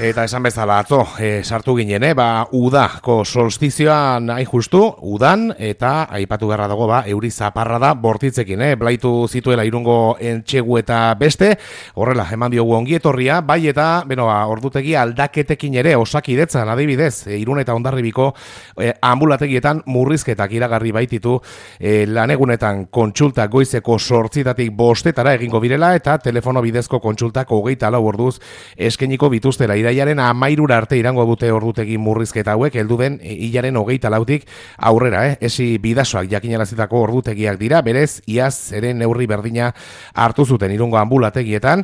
Eta esan bezala atzo, sartu ginen, udako solstizioan hain justu, udan, eta aipatu beharra dago, euri zaparra da bortitzekin, blaitu zituela Irungo entxegu eta beste, horrela, eman diogu ongietorria, bai eta, ordutegi aldaketekin ere, Osakidetzan, adibidez, Irun eta Hondarribiko ambulategietan murrizketak iragarri baititu, lanegunetan kontsulta goizeko 8:00 bostetara egingo birela, eta telefono bidezko kontsultak 24 orduz eskeniko bituztela. Irailaren 13 arte irango dute ordutegi murrizketa hauek, heldu den hilaren 24tik aurrera, esi bidasoak jakinarazitako ordutegiak dira, berez iaz ere neurri berdina hartu zuten Irungo ambulategietan,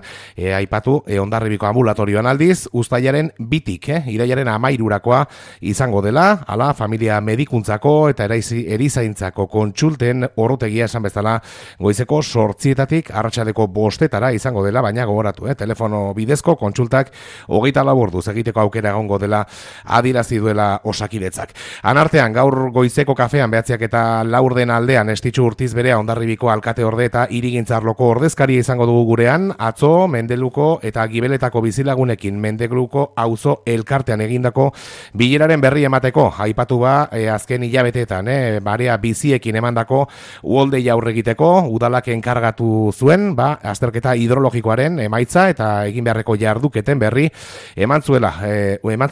aipatu Hondarribiko ambulatorioan aldiz, uztailaren 2tik, irailaren 13rakoa izango dela, hala familia medikuntzako eta erizaintzako kontsulten ordutegia esan bezala goizeko 8:00 arratsaldeko 5:00 izango dela, baina gogoratu, telefono bidezko kontsultak 24 orduz egiteko aukera egongo dela adierazi duela Osakidetzak. Anartean gaur goizeko kafean 9:04 aldean Estitxu Urtiz berea Hondarribiko alkate orde eta hirigintzarloko ordezkaria izango dugu gurean, atzo Mendeluko eta Gibeletako bizilagunekin Mendeluko auzo elkartean egindako bileraren berri emateko, aipatu azken hilabeteetan, barea biziekin emandako uholdei aurre egiteko, udalak enkargatu zuen, azterketa hidrologikoaren emaitza eta egin beharreko jarduketen berri eman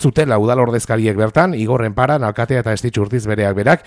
zutela udal ordezkariek bertan, Igorren Paran, alkatea eta Estitxu Urtiz bereak berak,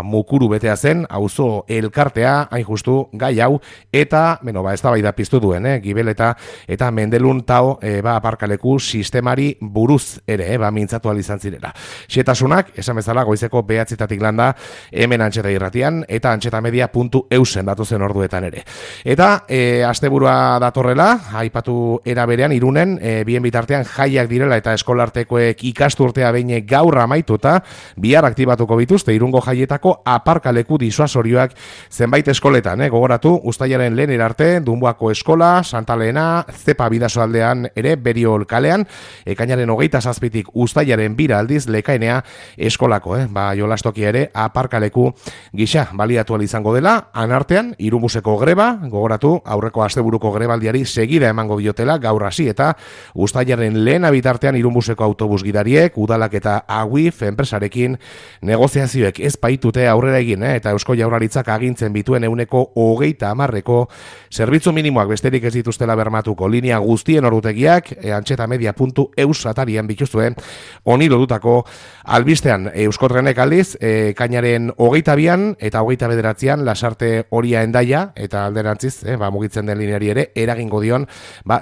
mukuru betea zen, auzo elkartea, hain justu, gai hau, eta, eztabaida piztu duen, Gibeleta eta Mendelun tao, aparkaleku sistemari buruz ere, mintzatu izan zirela. Xetasunak, esan bezala, goizeko 9:00 landa, hemen Antxeta Irratian, eta antxetamedia.eusen datu zen orduetan ere. Eta, asteburua datorrela, aipatu era berean, Irunen, bien bitartean jaiak direla eta eskolartekoek ikasturtea behin gaur amaituta, bihar aktibatuko bituzte Irungo jaietako aparkaleku disuasorioak zenbait eskoletan, gogoratu, uztailaren 1 arte, Dunbuako eskola, Santa Lehena, Zepa bidasoaldean ere, Beriol kalean, ekainaren 27tik uztailaren 2 aldiz Lekainea eskolako, jolastokia ere aparkaleku gisa baliatu izango dela. Anartean, Irunbuseko greba, gogoratu, aurreko asteburuko grebaldiari segida emango biotela gaur hasi eta uztailaren 1 bitartean Irunbuseko autobus gidariek, udalak eta AWIF enpresarekin negoziazioek ez baitute aurrera egin, eta Eusko Jaurlaritzak agintzen bituen 30% zerbitzu minimoak besterik ez dituztela bermatuko linea guztien ordutegiak, antxetamedia.eus atarian bituzuen honi lodutako albistean. Euskotrenek aldiz, kainaren 22an eta 29an Lasarte Oria Hendaia eta alderantziz, mugitzen den lineari ere eragingo dion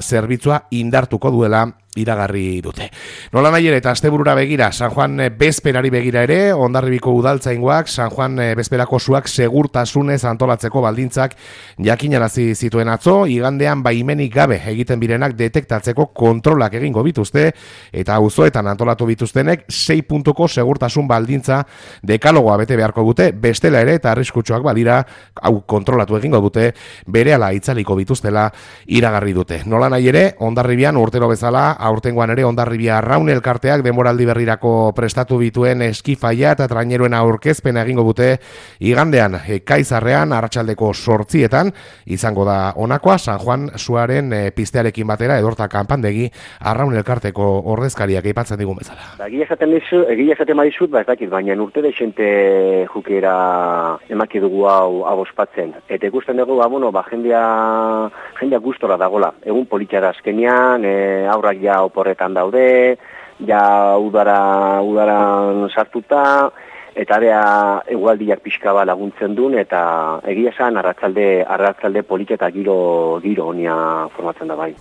zerbitzua indartuko duela iragarri dute. Nola nahi ere, eta asteburura begira, San Juan bezperari begira ere, Hondarribiko udaltzaingoak San Juan bezperako suak segurtasunez antolatzeko baldintzak jakinarazi zituen atzo, igandean baimenik gabe egiten birenak detektatzeko kontrolak egingo bituzte, eta auzoetan antolatu bituztenek 6 puntuko segurtasun baldintza dekalogoa bete beharko dute, bestela ere eta arriskutsuak balira, hau kontrolatu egingo dute, berehala itzaliko bituztela iragarri dute. Nola nahi ere, Hondarribian urtero bezala, aurtengoan ere Hondarribia Arraun elkarteak denboraldi berrirako prestatu bituen eskifaia eta traineruen aurkezpena egingo dute igandean Kaizarrean arratsaldeko 8:00 izango da honakoa San Juan suaren piztearekin batera edorta kanpandegi Arraun elkarteko ordezkariak aipatzen digun bezala. Egia esaten badizut, ez dakit, baina urte deixente jukera emaki dugu hau ospatzen. Eta ikusten dugu, jendea gustora dagola. Egun politxara azkenean, aurrak ja oporretan daude, ja udaran sartuta, eta area egualdiak pixka laguntzen duen, eta egia esan arratzalde polita eta giro honia formatzen da bai.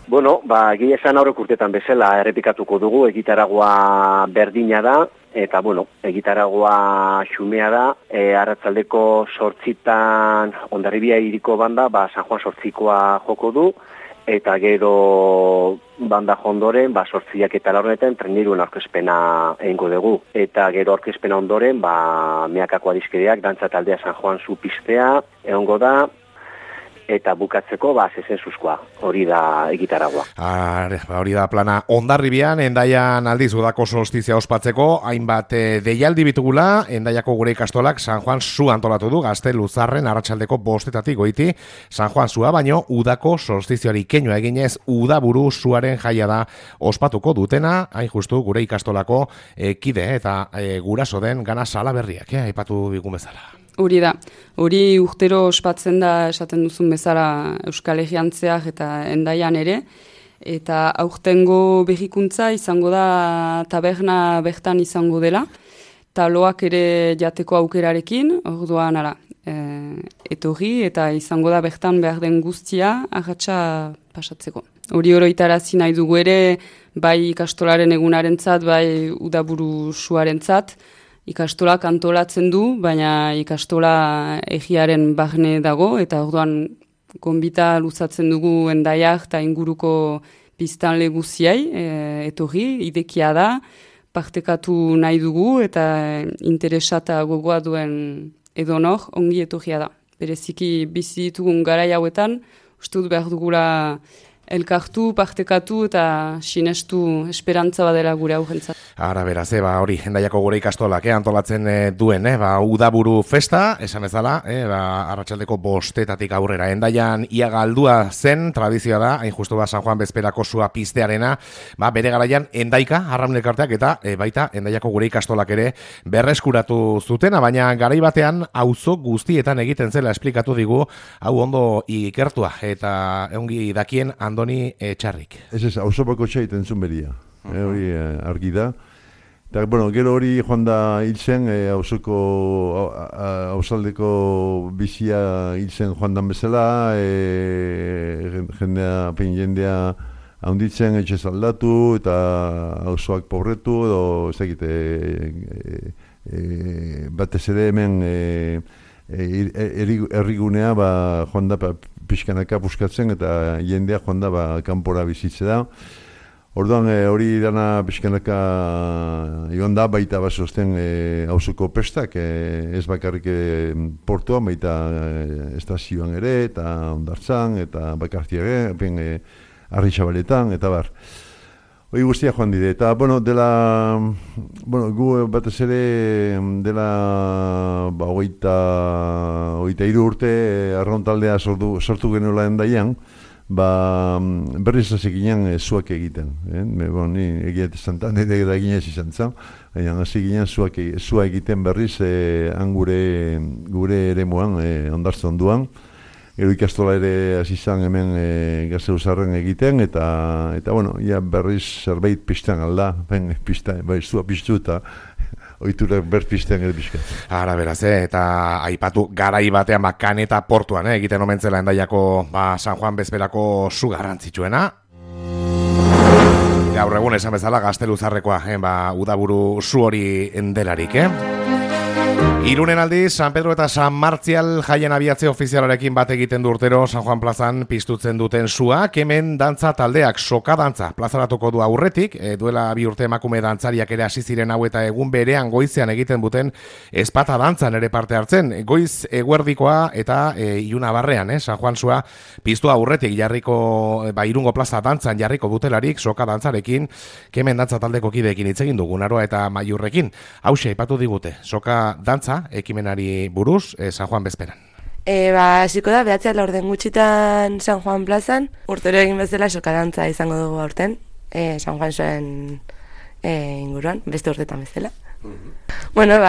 Egia esan aurrek urtetan bezala errepikatuko dugu, egitaragua berdina da, eta egitaragua xumea da, arratzaldeko 8:00 Hondarribia hiriko banda, San Juan 8:00koa joko du, eta gero banda ondoren, 8:00 eta 4:00 traineruen aurkezpena egingo dugu. Eta gero aurkezpena ondoren, meakako adiskideak, dantza taldea San Juan zu pistea, egongo da, eta bukatzeko zezenzuzkoa, hori da egitaragua. Hori da plana. Hondarribian, Hendaian aldiz udako solstizia ospatzeko, hainbat deialdi bitugula, Hendaiako gure ikastolak San Juan Su antolatu du, Gazte Luzarren arratsaldeko 5 goiti San Juan Sua, baino udako solstizioari keinua eginez udaburu suaren jaia da ospatuko dutena, hain justu gure ikastolako kide eta guraso den Gana Salaberriak, aipatu bigun bezala. Hori da, hori urtero ospatzen da esaten duzun bezala Euskal Herriantzeak eta Hendaian ere, eta aurtengo berrikuntza izango da taberna bertan izango dela, taloak ere jateko aukerarekin, orduan etorri eta izango da bertan behar den guztia arratsa pasatzeko. Hori oroitarazi nahi dugu ere, bai ikastolaren egunarentzat, bai udaburu suarentzat, ikastolak antolatzen du, baina ikastola egiaren barne dago, eta orduan gonbita luzatzen dugu Hendaiak eta inguruko biztanle guziei, etorri, idekia da, partekatu nahi dugu, eta interesata gogoa duen edonor, ongi etorria da. Bereziki bizi ditugun garai hauetan, uste dut behar dugula elkartu, partekatu eta sinestu esperantza badela gure aurrentzat. Ara beraz, hori, Hendaiako gure ikastolak antolatzen duen, udaburu festa, esan ezala, arratsaldeko 5 aurrera. Hendaian ia galdua zen, tradizioa da, hain justu San Juan Bezperako sua piztearena, bere garaian Hendaika, Arraun Elkarteak eta baita Hendaiako gure ikastolak ere berreskuratu zutena, baina garai batean auzo guztietan egiten zela esplikatu digu, hau ondo ikertua, eta ongi dakien Andoni Txarrik. Ez, auzo bako txaiten zuen beria, hori argi da. Eta, gero hori joan da hiltzen, hausaldeko bizia hiltzen joan dan bezala, jendea handitzen, etxez aldatu, eta hauzoak pobretu, edo ez dakit, batez ere hemen errigunea joan da pixkanaka puskatzen, eta jendea joan da kanpora bizitze da. Orduan hori dana pixkanaka egon da, baita basosten auzoko pestak, ez bakarrik portuan, baita estazioan ere, eta Hondartzan, eta Bakartiare, Arritxabaletan, eta bar. Hori guztia joan dide, eta gu batez ere dela 23 urte arraun taldea sortu genuela Hendaian, berriz hasi ginen zuak egiten. Ni egiat esantan, eta ginez izan zen, hasi ginen zua egiten berriz gure eremuan, Hondartzan duan. Gero ikastola ere hasi izan hemen Gazeuzarren egiten, eta berriz zerbait pizten alda, zua piztu eta oiturak berpizten ere pizkat. Ara beraz, eta aipatu garai batean Kaneta portuan egiten omentzela Hendaiako San Juan Bezperako su garrantzitsuena. Gaur egun esan bezala Gazte Luzarrekoa, udaburu su hori delarik, Irunen aldiz, San Pedro eta San Martzial jaien abiatze ofizialarekin bat egiten du urtero San Juan plazan piztutzen duten suak, hemen dantza taldeak soka dantza plazaratuko du aurretik, duela 2 urte emakume dantzariak ere hasi ziren hau eta egun berean goizean egiten duten ezpata dantzan ere parte hartzen, goiz eguerdikoa eta Iluna barrean, San Juan sua piztu aurretik jarriko, Irungo plaza dantzan jarriko dutelarik soka dantzarekin, hemen dantza taldeko kideekin hitz egin dugu, Naroa eta Maiurrekin, hauxe aipatu digute, soka dantza ekimenari buruz, San Juan Bezperan. Hasiko da, 9:00 gutxitan San Juan plazan, urtero egin bezala soka dantza izango dugu aurten, San Juan zuen inguruan, beste urtetan bezala.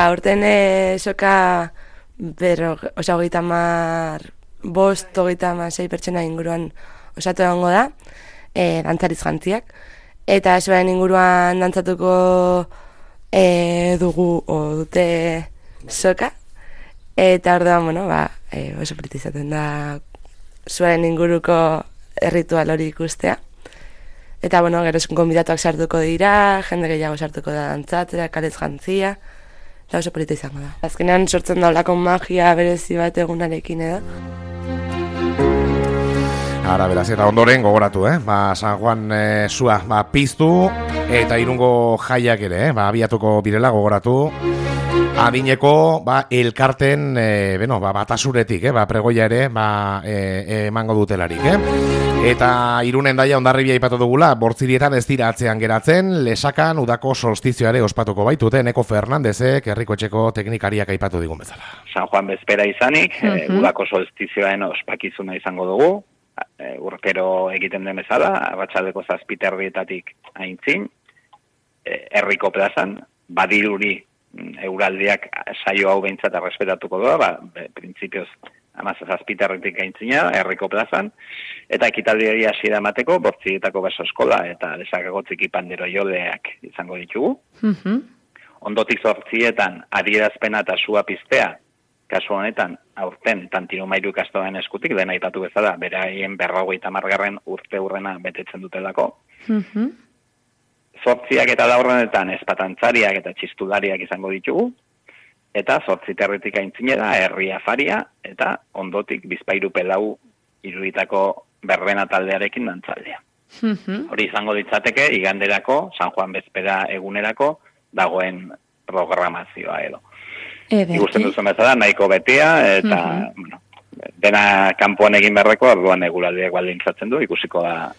Aurten soka 35-36 pertsona inguruan osatu egongo da, dantzariz jantziak, eta zuen inguruan dantzatuko dugu dute soka, eta orduan, oso polita izaten da zuen inguruko erritual hori ikustea. Eta, gero gonbidatuak sartuko dira, jende gehiago sartuko da dantzatzera, kalez jantzia, eta oso polita izango da. Azkenean sortzen da olako magia berezi bat egunarekin edo. Ara, beraz, eta ondoren gogoratu, San Juan sua piztu, eta Irungo jaiak ere, abiatuko birela gogoratu. Adineko elkarten batasuretik, pregoia ere emango dutelarik, Eta Irunen Daia Hondarribia aipatu dugula, Bortzirietan ez dira atzean geratzen, Lesakan udako solstizioare ospatuko baitute, Neko Fernandezek herrikotxeko teknikariak aipatu digun bezala. San Juan bezpera izanik, udako solstizioaren ospakizuna izango dugu, urtero egiten den bezala, arratsaldeko 7:00 aintzin, herriko plazan, badiruri euraldiak saio hau behintzat errespetatuko doa, printzipioz 7:00 aintzina, herriko plazan, eta ekitaldiari hasiera emateko Bortzirietako baso eskola eta Lesakako txiki pandero joleak izango ditugu. Ondotik 8:00 adierazpena eta sua piztea, kasu honetan aurten Tantiro Mairu ikastolen eskutik, dena aipatu bezala, beraien 50. urte urrena betetzen dutelako. 8:00 eta 4:00 espatantzariak eta txistulariak izango ditugu, eta 8:00 aintzinera herri afaria, eta ondotik Bizpahiru Pelau Iruritako berbena taldearekin dantzaldea. Hori izango ditzateke iganderako, San Juan bezpera egunerako, dagoen programazioa edo. Ikusten duzu bezala, nahiko betea, eta dena kanpoan egin beharreko, orduan eguraldiak baldintzatzen du, ikusiko da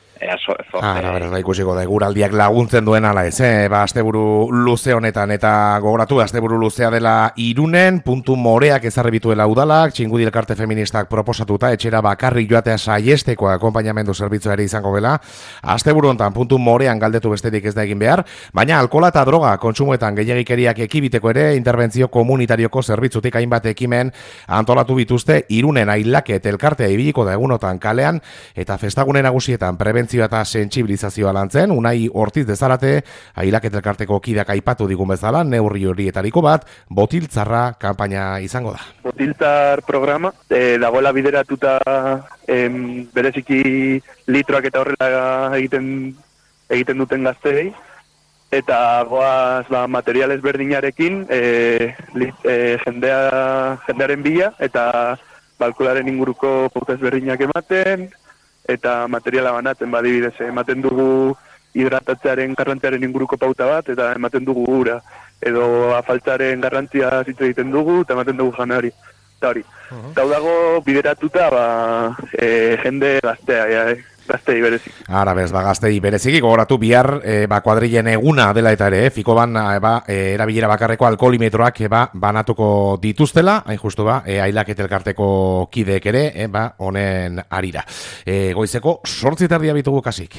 ikusiko da eguraldiak laguntzen duen ala ez, asteburu luze honetan, eta gogoratu, asteburu luzea dela Irunen, puntu moreak ezarri bituela udalak, Txingudi elkarte feministak proposatuta, etxera bakarrik joatea saiesteko akonpainamendu zerbitzu ere izango dela, asteburu honetan puntu morean galdetu besterik ez da egin behar, baina alkohola eta droga kontsumoetan gehiagikeriak ekibiteko ere, interbentzio komunitarioko zerbitzutik hainbat ekimen antolatu bituzte, Irunen ailaket elkartea ibiliko da egunotan kalean, eta festagune nagusietan prebentzio eta sentsibilizazioa lantzen, Unai Ortiz dezalate, ailaket elkarteko kideak aipatu digun bezala, neurri horietariko bat, botiltzarra kanpaina izango da. Botiltzar programa, dagoela bideratuta bereziki litroak eta horrela egiten duten gazteei, eta goaz material ezberdinarekin jendearen bila, eta alkoholaren inguruko pauta ezberdinak ematen, eta materiala banatzen badibidez, ematen dugu hidratatzearen garrantziaren inguruko pauta bat, eta ematen dugu ura, edo afaltzaren garrantzia hitz egiten dugu, eta ematen dugu janari. Eta hori, hau dago bideratuta jende gaztea, gaztei berezik. Ara bez, gaztei berezik, gogoratu bihar kuadrilen eguna dela eta ere, Fikoban erabilera bakarreko alkoholimetroak banatuko dituztela, hain justu ailaket elkarteko kideek ere, honen arira. Goizeko 8:30 bitugu kasik.